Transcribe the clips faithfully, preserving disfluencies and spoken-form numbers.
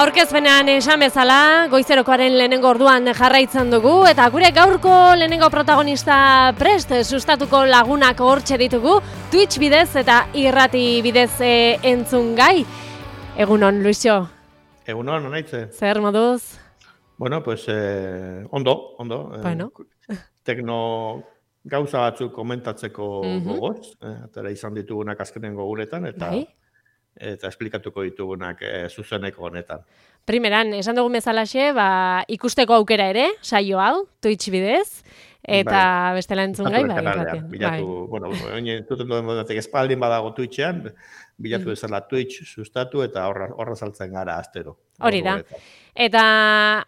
Aurkezpenean esan bezala, goizerokoaren lehenengo orduan jarraitzen dugu, eta gure gaurko lehenengo protagonista prest sustatuko lagunak hortxe ditugu, Twitch bidez eta irrati bidez e, entzun gai. Egunon, Luisio. Egunon, onaitze. Zer moduz? Bueno, pues, eh, ondo, ondo. Bueno. Eh, tekno gauza batzuk komentatzeko Mhm. gogoz, eh, atera izan ditugunak azkenengo guretan, eta Bai. eta esplikatuko ditugunak eh, zuzeneko honetan. Primeran, esan dugun bezalaxe, ba, ikusteko aukera ere, saio hau, Twitch bidez, eta bestela entzun gai, Bilatu bai, kanalean, irratian. bilatu, Bai. bueno, oin entzuten duen modatik espaldin badago Twitchean, bilatu Mhm. bezala Twitch sustatu eta horra, horra saltzen gara astero. Hori da. Orduetan. Eta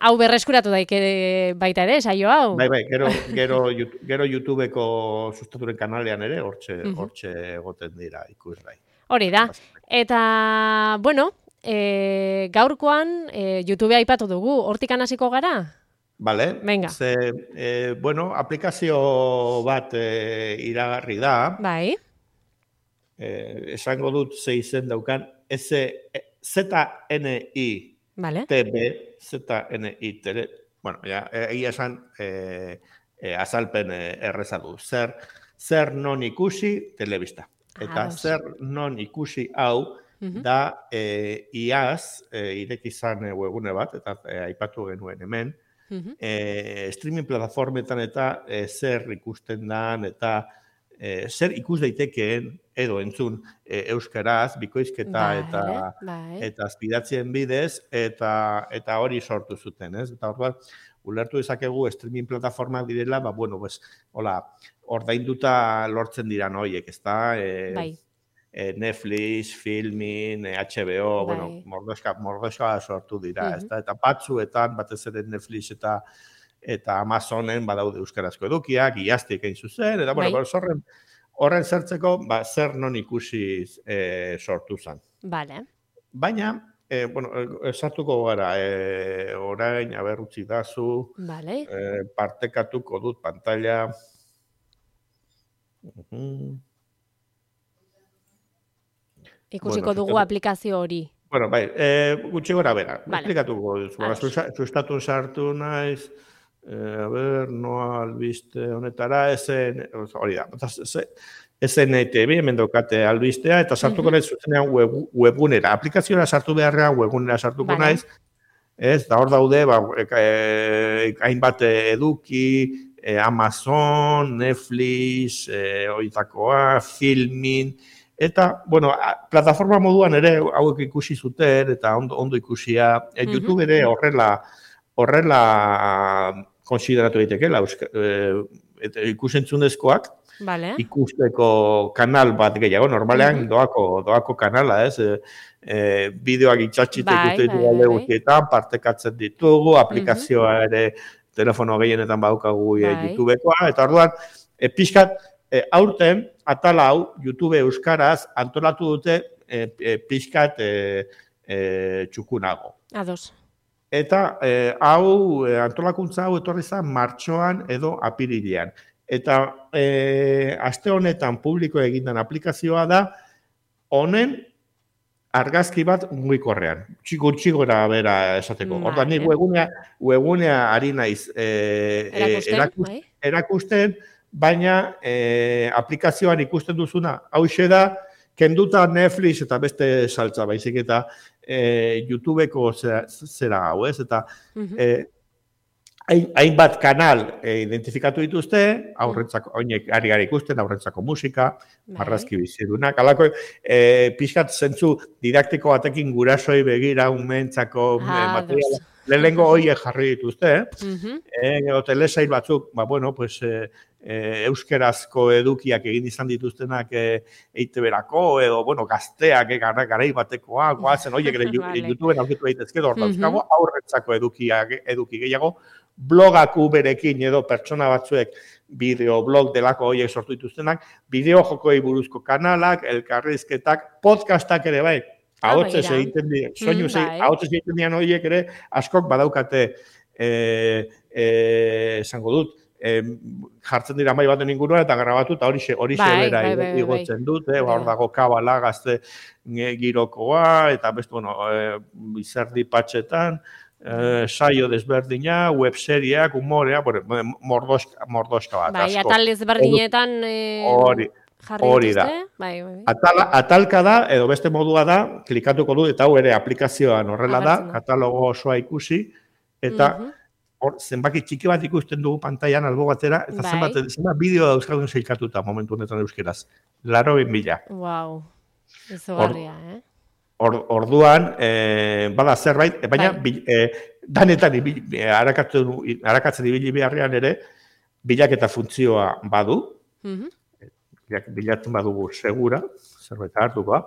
hau berreskuratu daike baita ere, saio hau. Bai, bai, gero, gero, Yout- gero YouTubeko sustaturen kanalean ere, hortxe, Mhm. hortxe egoten dira ikusgai. Hori da. Eta, bueno, e, gaurkoan e, YouTube aipatu dugu, hortikan hasiko gara? Vale, Venga. ze, eh, bueno, aplikazio bat eh, iragarri da, Bai. eh, esango dut ze izen daukan, Z N I Vale. T B, Z N I T B, bueno, ja, egia esan eh, eh, azalpen eh, erreza du, zer, zer non ikusi telebista. Eta Ados. zer non ikusi hau Mhm. da eh, iaz eh, ireki izan eh, webgune bat, eta eh, aipatu genuen hemen, Mhm. eh, streaming plataformetan eta eh, zer ikusten dan, eta eh, zer ikus daitekeen edo entzun eh, euskaraz, bikoizketa Bai, eta bai. eta azpidatzien bidez, eta eta hori sortu zuten, ez? Eta orduan, ulertu dezakegu streaming plataformak direla, ba, bueno, pues, hola, ordainduta lortzen dira horiek, ezta? E, Bai. e, Netflix, Filmin, e, H B O, Bai. bueno, mordoska, mordoska sortu dira, Mhm. ezta? Eta batzuetan, batez ere Netflix eta eta Amazonen badaude euskarazko edukiak, iaztik egin zuzen, eta, bueno, Bai. pues, horren, horren zertzeko, ba, zer non ikusi e, sortu zen. Vale. Baina, eh, bueno, eh, sartuko gara, eh, orain, aber utzi dazu, Vale. eh, partekatuko dut pantalla. Mhm. Ikusiko Bueno, dugu sustatu- aplikazio hori. Bueno, bai, eh, gutxi gora bera, Vale. esplikatuko duzu. Ba, Ados. susta- Sustatu sartu naiz, eh, a ber, noa albiste honetara, esen, hori da, eta ze- S N T B, hemen daukate albistea, eta sartuko Mhm. naiz zuzenean web, webgunera. Aplikazioa sartu beharrean webgunera sartuko Vale. naiz, ez, da hor daude, ba, e, hainbat eduki, e, Amazon, Netflix, e, oitakoa, Filmin, eta, bueno, a, plataforma moduan ere hauek ikusi zuten, eta ondo, ondo ikusia, e, Mhm. YouTube ere horrela, horrela konsideratu daitekeela, euska- e, eta ikusentzunezkoak, Vale. ikusteko kanal bat gehiago, normalean Mhm. doako, doako kanala, ez? E, e, bideoak itxatxita Bai, ikusten bai, ditugu alde bai, bai. guztietan, partekatzen ditugu, aplikazioa ere telefono gehienetan badaukagu e, Bai. YouTubekoa, eta orduan, e, pixkat, e, aurten, atala hau, YouTube euskaraz antolatu dute e, e, pixkat e, e, txukunago. Ados. Eta eh, hau, eh, antolakuntza hau etorri zen martxoan edo apirilean. Eta eh, aste honetan publiko egindan aplikazioa da, honen argazki bat mugikorrean. Gutxi gora bera esateko. Vale. Orduan, nik webgunea, webgunea ari naiz eh, eh, Erakusten, erakus- bai. erakusten, baina eh, aplikazioan ikusten duzuna, hauxe da, kenduta Netflix eta beste saltza, baizik eta eh, YouTubeko zera, zera hau, ez? Eta Mhm. eh, hain- hainbat kanal eh, identifikatu dituzte, aurrentzako, oinek ari gara ikusten, aurrentzako musika, Bai. marrazki bizidunak, alako, eh, pixkat zentzu didaktiko batekin gurasoi begira, umentzako eh, Ados. materiala, lehenengo hoiek jarri dituzte, Mhm. eh, gero telesail batzuk, ba, bueno, pues, eh, eh, euskerazko edukiak egin izan dituztenak eh, E I Te Berako, edo, bueno, gazteak, eh, gara, garai batekoa, goazen, oiek ere Vale. YouTubeen aurkitu daitezke, hor Mhm. dauzkago, aurretzako edukiak, eduki gehiago, blogak uberekin edo pertsona batzuek bideoblog delako horiek sortu dituztenak, bideo jokoei buruzko kanalak, elkarrizketak, podcastak ere bai, Ah, ahotzez begira. egiten dira, soinu Mm, bai. ahotzez egiten dian horiek ere, askok badaukate, eh, eh, esango dut, e, jartzen dira mai baten inguruan eta grabatu eta hori hori Bai, bera bai, bai, bai. igotzen dute, Hori hor da. dago kabala gazte e, girokoa eta beste bueno, e, izerdi patxetan, e, saio desberdina, webseriak, humorea, bueno, mordoska, mordoska bat, Bai, asko. atal ezberdinetan eh, Hori, jarri hori da. dituzte. Bai, bai, bai. Atala, atalka da, edo beste modua da, klikatuko du, eta hau ere aplikazioan horrela da, Agertzen da. katalogo osoa ikusi, eta Mhm. hor, zenbaki txiki bat ikusten dugu pantailan albo batera, eta Bai. zenbat, zenbat bideo dauzkadun zeikatuta momentu honetan euskeraz. Laro mila. Wow. Izugarria, eh? Or, orduan, e, bada zerbait, e, baina Bai. bil, e, danetan ibili, e, arakatzen, arakatzen ibili beharrean ere, bilaketa funtzioa badu, Mhm. bilak- bilatzen badugu segura, zerbait hartuko,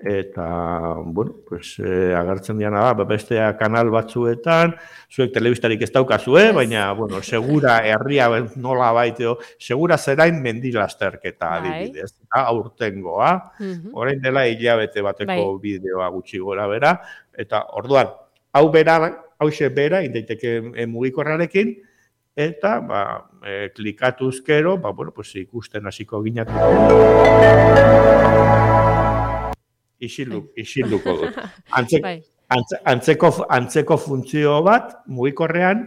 eta, bueno, pues, e, agertzen diana da, bestea kanal batzuetan, zuek telebistarik ez daukazue, Ez. baina, bueno, segura herria nola baiteo, segura zerain mendilasterketa Bai. adibidez, eta aurtengoa, Mhm. orain dela hilabete bateko Bai. bideoa gutxi gora bera, eta orduan, hau bera, hauxe bera, indaiteke e, mugikorrarekin, eta, ba, e, klikatuz gero, ba, bueno, pues, ikusten hasiko ginatu. Isildu, isilduko dut. Antzek, Bai. antze, antzeko, antzeko funtzio bat, mugikorrean,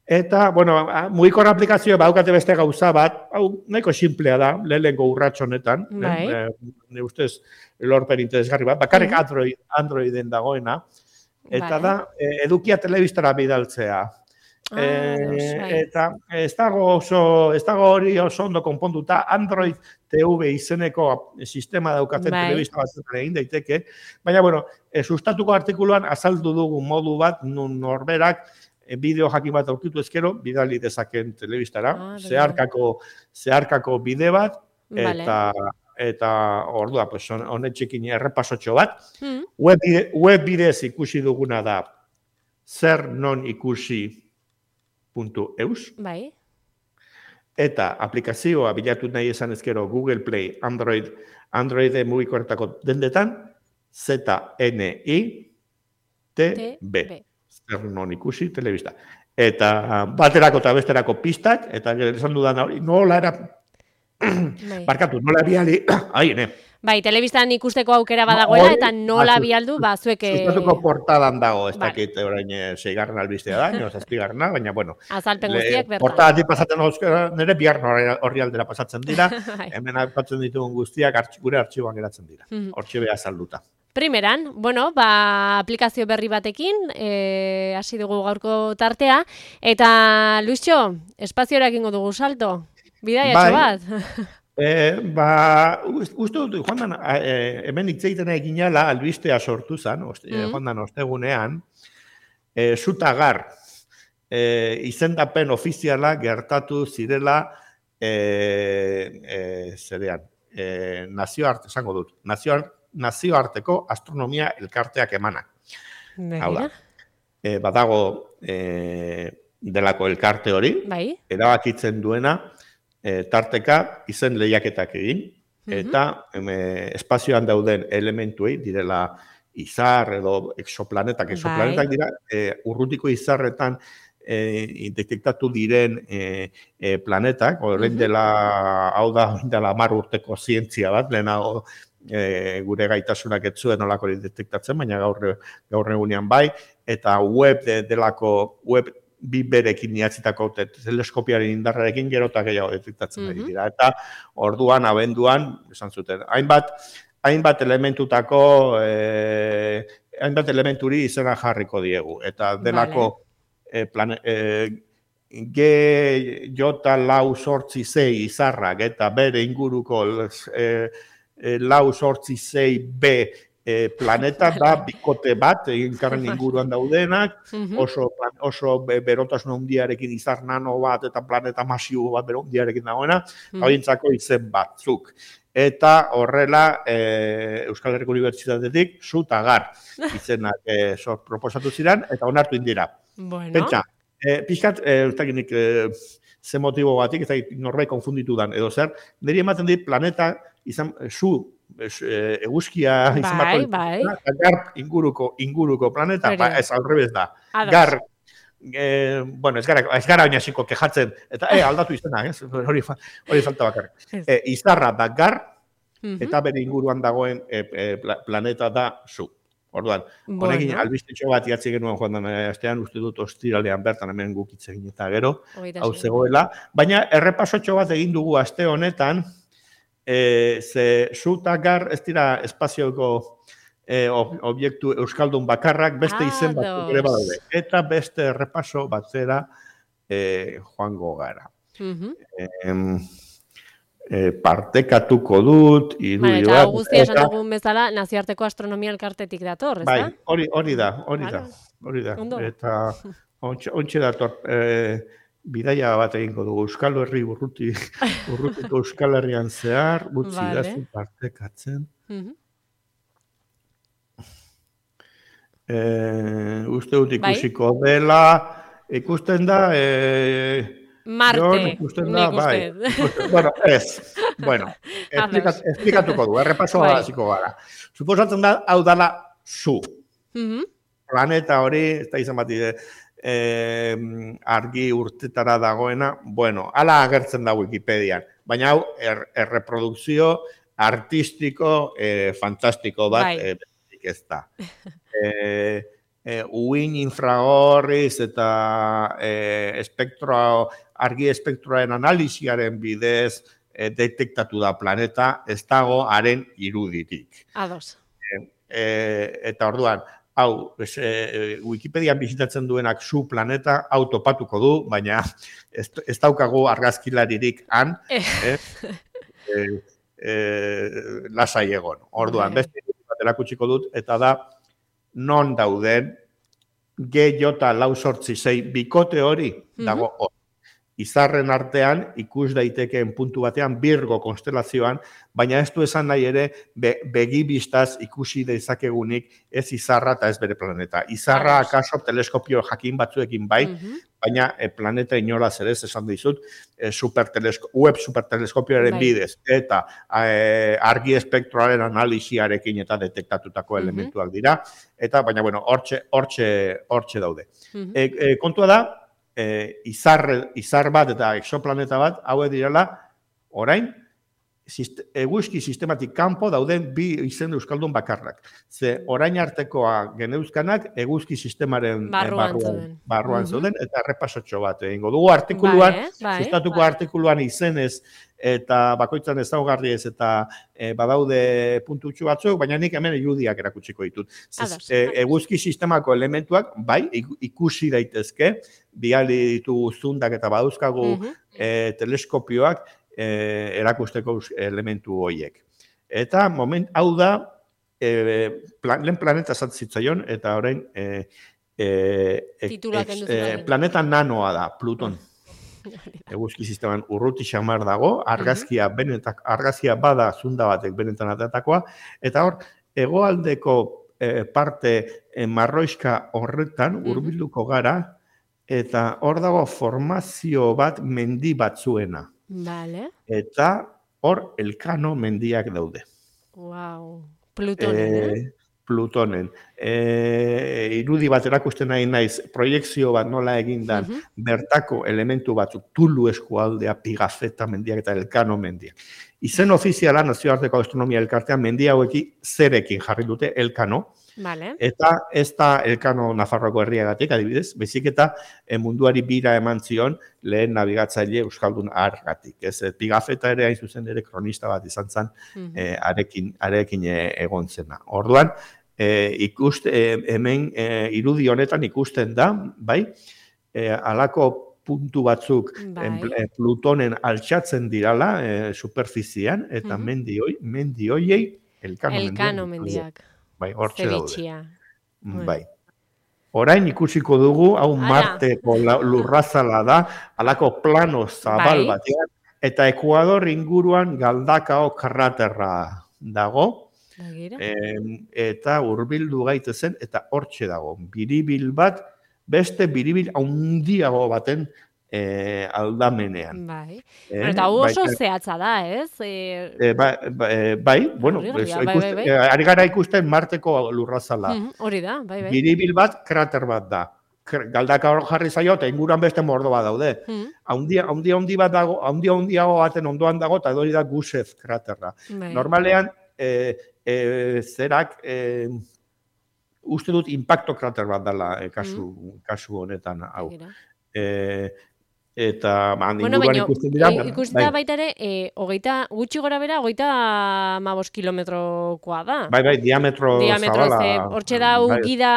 eta, bueno, a- mugikor aplikazioa baukate beste gauza bat, hau nahiko simplea da, lehenengo urrats honetan, Bai. eh? Ne ustez lorpen interesgarri bat, bakarrik Mhm. Android, Androiden dagoena, eta Bai. da, eh, edukia telebistara bidaltzea. Ah, Eh, ados, bai. eta ez dago oso, ez dago hori oso ondo konponduta, Android T V izeneko sistema daukaten Bai. telebista batzuetan egin daiteke, baina, bueno, e, sustatuko artikuluan azaldu dugu modu bat, nun norberak e, bideo jakin bat aurkitu ezkero, bidali dezaken telebistara, Ah, begira. zeharkako, zeharkako bide bat, Vale. eta eta ordua, pues, honetxekin errepasotxo bat, Mhm. web, bide, web bidez ikusi duguna da, zer non ikusi puntu eus, Bai. eta aplikazioa bilatu nahi esan ezkero Google Play, Android, Android mugikorretako dendetan, Z N I T B. Zer non ikusi, telebista. Eta baterako eta besterako pistak, eta gero esan dudan hori, nola era, Bai. barkatu, nola biali, ai, ne, Bai, telebistan ikusteko aukera badagoela, Hori, eta nola ba, bialdu, ba, zuek... eh, sustatuko portadan dago, ez Vale. dakit orain eh, seigarren albistea da, nio zazpigarrena, baina, bueno, Azalpen le- guztiak bertan. portadatik pasatzen euskara, nire bigarren horri aldera pasatzen dira, Bai. hemen aipatzen ditugun guztiak artx- gure artxiboan geratzen dira. Mhm. Hortxe beha salduta. Primeran, bueno, ba, aplikazio berri batekin, eh, hasi dugu gaurko tartea, eta Luisxo, espaziorak ingo dugu salto, bidaiatxo Bai. bat. E, ba, ust- uste dut, joan dan, e, hemen hitz egiten eginala albistea sortu zen, oste, Mhm. joan dan ostegunean, e, zutagar e, izendapen ofiziala gertatu zirela e, e, zerean, e, nazioarte, esango dut, nazioar, nazioarteko astronomia elkarteak emanak. Hau da, Begira. e, badago e, delako elkarte hori, Bai. erabakitzen duena, e, tarteka izen lehiaketak egin, Mhm. eta em, e, espazioan dauden elementuei direla izar edo exoplanetak, exoplanetak Bai. dira, e, urrutiko izarretan e, detektatu diren e, e, planetak, orain Mhm. dela, hau da, orain dela hamar urteko zientzia bat, lehenago e, gure gaitasunak ez zuen olako detektatzen, baina gaur, gaur egunean bai, eta web de, delako, web bi berekin idatzitako te- teleskopiaren indarrarekin gero eta gehiago detektatzen ari Mhm. dira. Eta orduan, abenduan, esan zuten, hainbat, hainbat elementutako, eh, hainbat elementuri izena jarriko diegu. Eta delako eh, plane, eh, G, J, lau, sortzi, zei izarrak eta bere inguruko eh, eh, lau, sortzi, zei, B eh, planeta da bikote bat, elkarren inguruan daudenak, Mhm. oso, plan- oso be- berotasun handiarekin izar nano bat eta planeta masibo bat bero handiarekin dagoena, Mhm. hauentzako izen batzuk. Eta horrela e, Euskal Herriko Unibertsitatetik zutagar izenak e, sor, proposatu ziren, eta onartu indira. Bueno. Pentsa, e, pixkat, e, ez dakit nik, e, ze motibo batik, ez dakit norbait konfunditu dan, edo zer, niri ematen dit planeta izan, zu, es, e, eguzkia izan Bai, barko bai. eta gar inguruko, inguruko planeta, Hori ba, da. ez alrebez da. Ados. Gar, e, bueno, ez gara, ez gara oina hasiko kejatzen, eta e, aldatu izena, ez? Hori, hori falta bakarrik. E, izarra da gar, eta bere inguruan dagoen e, e, planeta da zu. Orduan, bueno. Honekin albistetxo bat iatzi genuen joan den astean, uste dut ostiralean bertan hemen gukitze egin eta gero, hau zegoela. Baina errepasotxo bat egin dugu aste honetan, e, ze zu eta gar ez dira espazioko E, obiektu euskaldun bakarrak beste ah, izen batzuk ere badaude. Eta beste errepaso batzera e, joango gara. Uh-huh. e, e, partekatuko dut, irudi bat. Eta guztia esan dugun bezala, nazioarteko astronomia elkartetik dator, ez da? Bai, hori, hori da, hori da. Hori da. Eta ontxe dator, e, bidaia bat egingo dugu, Euskal Herri urruti, urrutiko Euskal Herrian zehar, gutzi vale. Da partekatzen. Uh-huh. Eh, uste dut ikusiko bai? Dela, ikusten da... Eh, Marte, Jon, ikusten da, bai. Ikusten, bueno, ez. Bueno, esplikat, esplikatuko du, errepasoa bai. Hasiko gara. Suposatzen da, hau dala zu. Uh-huh. Planeta hori, ez da izan bat eh, argi urtetara dagoena, bueno, ala agertzen da Wikipedian, baina hau er, erreprodukzio artistiko eh, fantastiko bat bai. eh, ez da. E, e, uin infragorriz eta e, espektroa, argi espektroaren analisiaren bidez e, detektatu da planeta, ez dago haren iruditik. Ados. E, e, eta orduan, hau, ez, e, Wikipedian bizitatzen duenak zu planeta, hau topatuko du, baina ez, ez daukagu argazkilaririk han, eh. e, e, lasai egon. Orduan, beste erakutsiko dut, eta da, non dauden, G J lau sortzi sei bikote hori dago hor. Izarren artean, ikus daitekeen puntu batean, Virgo konstelazioan, baina ez du esan nahi ere, be, begibistaz ikusi dezakegunik ez izarra eta ez bere planeta. Izarra akaso teleskopio jakin batzuekin bai, uh-huh. baina e, planeta inolaz ere ez esan dizut, e, supertelesko, web superteleskopioaren bai. Bidez, eta e, argi espektroaren analisiarekin eta detektatutako uh-huh. elementuak dira, eta baina, bueno, hortxe, hortxe, hortxe daude. Uh-huh. e, e, kontua da, E, izar, izar bat eta exoplaneta bat, hauek direla, orain, sist, eguzki sistematik kanpo dauden bi izen euskaldun bakarrak. Ze orain artekoa geneuzkanak eguzki sistemaren barruan, barruan, barruan uh-huh. zeuden, eta errepasotxo bat egingo dugu artikuluan, bai, bai, sustatuko bai. Artikuluan izenez, eta bakoitzan ezaugarriez eta e, badaude puntutxu batzuk, baina nik hemen irudiak erakutsiko ditut. Zez, e, eguzki sistemako elementuak, bai, ikusi daitezke, biali ditugu zundak eta badauzkagu uh-huh. e, teleskopioak e, erakusteko elementu horiek. Eta moment, hau da, e, plan, lehen planeta zatzitzaion, eta orain e, e, e, e, planeta nanoa da, Pluton. Eguzki sisteman urruti xamar dago, argazkia, uh-huh. benetak, argazkia bada zunda batek benetan atatakoa, eta hor, hegoaldeko e, parte e, marroiska horretan hurbilduko uh-huh. gara, eta hor dago formazio bat mendi batzuena. Vale. Eta hor Elkano mendiak daude. Wow, Plutonen, eh? Plutonen. E, irudi bat erakusten nahi naiz, proiekzio bat nola egindan, uh-huh. bertako elementu batzuk, Tulu eskualdea, Pigafetta mendiak eta Elkano mendiak. Izen ofiziala, nazioarteko astronomia elkartean, mendia hauekin zerekin jarri dute Elkano, vale. Eta ez da Elkano Nafarroako herriagatik, adibidez, bezik eta e, munduari bira eman zion lehen nabigatzaile euskaldun argatik. Ez, Pigafetta ere hain zuzen ere kronista bat izan zen, uh-huh. e, arekin, arekin e, egon zena. Orduan, e, ikuste, e, hemen e, irudi honetan ikusten da, bai, e, alako puntu batzuk bai. e, Plutonen altxatzen dirala e, superfizian, eta uh-huh. mendi hoi, mendi hoiei Elkano, Elkano mendiak. Bai, hortxe daude. Bai. Orain ikusiko dugu, hau Marteko lurrazala da, halako plano zabal bai. Batean, eta Ekuador inguruan Galdakao kraterra dago, e, eta hurbildu gaitezen, eta hortxe dago. Biribil bat, beste biribil handiago baten E, aldamenean. Bai. Eh, eta oso bai, zehatza da, ez? E... E, bai, bai, bai, bueno, bai, bai, ikusten, bai, bai. ari gara ikusten Marteko lurrazala. Mm, hori da, bai, bai. Biribil bat, krater bat da. galdaka hor jarri zaio, eta inguruan beste mordo bat daude. Mm. Haundia, haundia handi bat dago, haundia handiago baten ondoan dago, eta hori da Gusev kraterra. Bai. Normalean, e, e, zerak, e, uste dut impacto krater bat dela e, kasu, mm. kasu honetan hau. E, eta man, bueno, inguruan baino, ikusten dira. E, ikusten da baita ere, e, hogeita, gutxi gora bera, hogeita amabos kilometrokoa da. Bai, bai, diametro, diametro zabala. Hortxe da, bai, gida,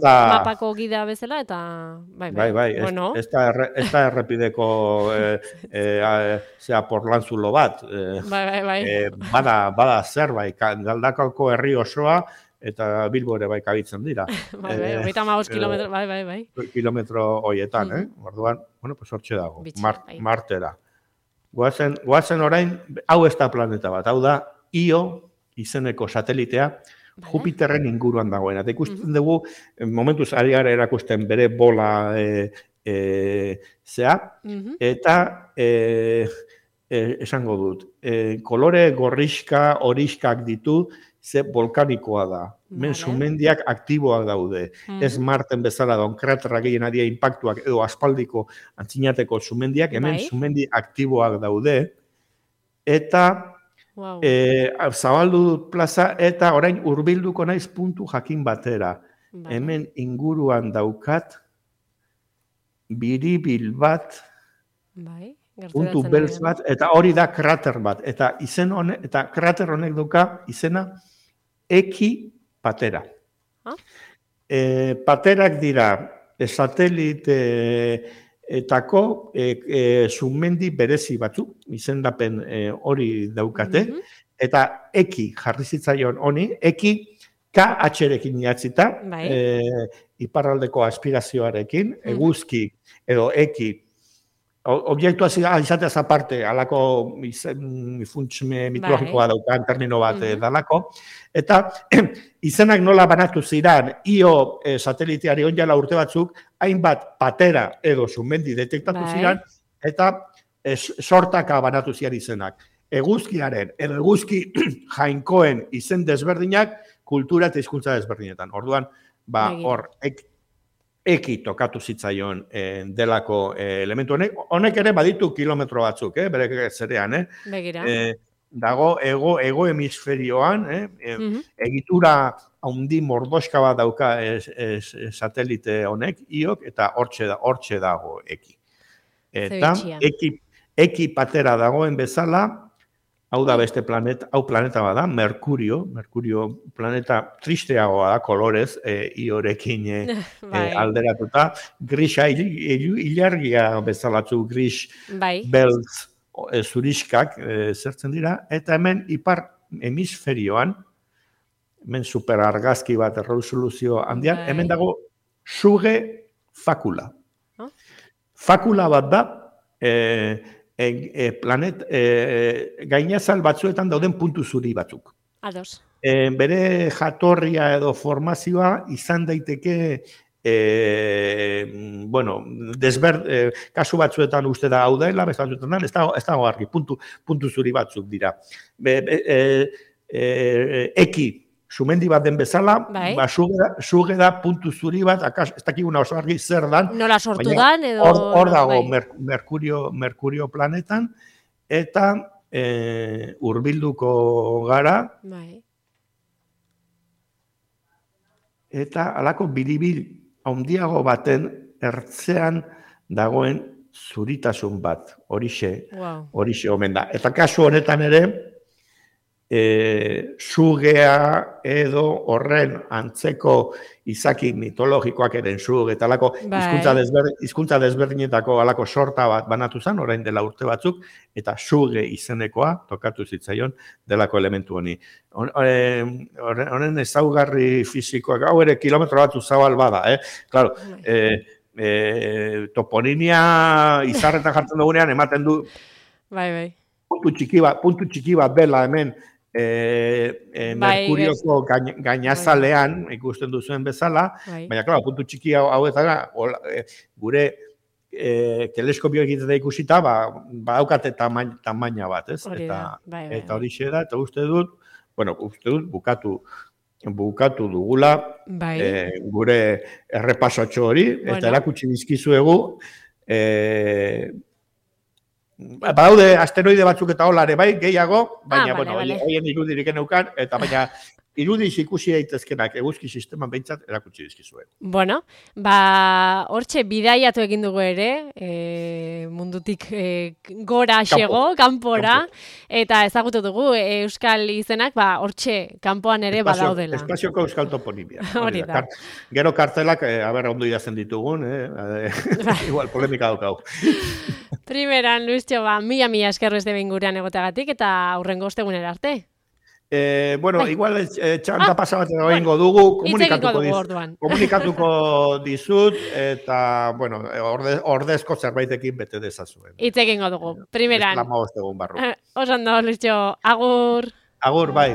da, mapako gida bezala, eta bai, bai. Bai, bai, bueno. ez, ez, da erre, ez da errepideko e, e, e, zera porlantzulo bat. E, bai, bai, bai. E, bada, bada zer, bai, Galdakako herri osoa, eta Bilbo ere bai kabitzen dira. bai, bai, hogeita amabos kilometro, bai, bai, bai. Kilometro hoietan, mm-hmm. eh? Orduan, bueno, pues hortxe dago, Bitxe, Mar, bai. Martera. Goazen, goazen orain, hau ez da planeta bat, hau da, Io izeneko satelitea, vale. Jupiterren inguruan dagoena. Eta ikusten mm-hmm. dugu, momentuz ari gara erakusten bere bola e, e, zea, mm-hmm. eta e, e, esango dut, e, kolore gorrixka, horiskak ditu, ze volkanikoa da. Hemen vale. Sumendiak aktiboak daude. Mm. Ez Marten bezala da, kraterra gehien adia impactuak edo aspaldiko antzinateko sumendiak, hemen bai. Sumendi aktiboak daude. Eta wow. e, zabaldu dut plaza, eta orain hurbilduko naiz puntu jakin batera. Bai. Hemen inguruan daukat, biribil bat, bai. Puntu beltz bat, eta hori da krater bat. Eta izen honek, eta krater honek duka izena, Eki Patera. Ah? E, paterak dira e, sateliteetako e, e, sumendi berezi batzuk, izendapen e, hori daukate, mm-hmm. eta Eki jarri zitzaion honi, Eki K H-rekin idatzita, e, iparraldeko aspirazioarekin, mm-hmm. eguzki edo Eki, objektua izateaz aparte, alako funts mitologikoa daukan termino bat mm-hmm. dalako, eta izenak nola banatu ziran, Io e, sateliteari onjala urte batzuk, hainbat patera edo sumendi detektatu bai. Ziran, eta e, sortaka banatu zian izenak. Eguzkiaren, edo eguzki jainkoen izen desberdinak, kultura eta hizkuntza desberdinetan. Orduan, ba, hor, ek, Eki tokatu zitzaion eh, delako eh, elementu honek. Honek ere baditu kilometro batzuk, eh, bere zerean. Eh. Begira. Eh, dago ego, ego hemisferioan, eh, mm-hmm. egitura handi mordoska bat dauka es, es, es, satelite honek, Iok, eta hortxe, da, hortxe dago Eki. Eta Eki, Eki Patera dagoen bezala, hau da beste planeta, hau planeta bada, Merkurio, Merkurio planeta tristeagoa da, kolorez, e, iorekin e, bai. e, alderatuta, grisa ilargia bezalatzu, gris, bai. Beltz, e, zuriskak e, zertzen dira, eta hemen ipar hemisferioan, hemen superargazki bat erresoluzio handian, bai. Hemen dago suge fakula. Huh? Fakula bat da, e, E, e, planet, e, gainazal batzuetan dauden puntu zuri batzuk. Ados. E, bere jatorria edo formazioa izan daiteke, e, bueno, desber, e, kasu batzuetan uste da hau dela, beste batzuetan ez dago, ez dago argi, puntu, puntu zuri batzuk dira. Be, be, e, e, eki, sumendi bat den bezala, bai. Ba, suge da puntu zuri bat, akas, ez dakiguna oso argi zer dan. Nola sortu dan, edo... Hor, hor dago bai. mer, Merkurio, Merkurio planetan, eta e, hurbilduko gara, bai. Eta alako biribil handiago baten ertzean dagoen zuritasun bat, horixe, wow. horixe omen da. Eta kasu honetan ere, E, sugea edo horren antzeko izaki mitologikoak eren suge eta alako hizkuntza desber, hizkuntza desberdinetako alako sorta bat banatu zen, orain dela urte batzuk, eta suge izenekoa tokatu zitzaion delako elementu honi. Honen ezaugarri fisikoak, hau ere kilometro batzu zabal bada, eh? Claro, eh, eh, toponimia izarretan jartzen dugunean ematen du bai, bai. puntu txiki bat, puntu txiki bat dela hemen, E, e, bai, Merkurioko gain, gainazalean bai. Ikusten duzuen bezala, bai. Baina, klaro, puntu txiki hau, hau eta e, gure e, teleskopio egiten da ikusita, ba, badaukate tamaina, tamaina bat, ez? Hori eta bai, bai, eta hori da, eta uste dut, bueno, uste dut bukatu bukatu dugula bai. e, gure errepasotxo hori, Bueno. eta erakutsi dizkizuegu e, badaude asteroide batzuk eta holare bai, gehiago, baina, ah, bueno, vale, vale. hoien irudirik eneukan, eta baina irudiz ikusi daitezkenak eguzki sisteman behintzat erakutsi dizkizue. Bueno, ba, hortxe bidaiatu egin dugu ere, e, mundutik e, gora xego, kanpora, eta ezagutu dugu e, euskal izenak, ba, hortxe kanpoan ere Espazio, badaudela. Espazioko euskal toponimia. Hori da. Kart, gero kartelak, e, aber, ondo idazten ditugun, eh? Igual, polemika daukau. Primeran, Luistxo, ba, mila mila eskerrez de gurean egoteagatik, eta aurrengo ostegunera arte. Eh, bueno, Bai. igual eh, txanta Ah, pasa bat edo bueno, egingo dugu, hitz komunikatuko, egingo dugu diz, orduan. komunikatuko dizut, eta, bueno, orde, ordezko zerbaitekin bete dezazuen. Hitz egingo dugu. Primeran. Esklama egun barru. Oso ondo, Luistxo, agur. Agur, bai.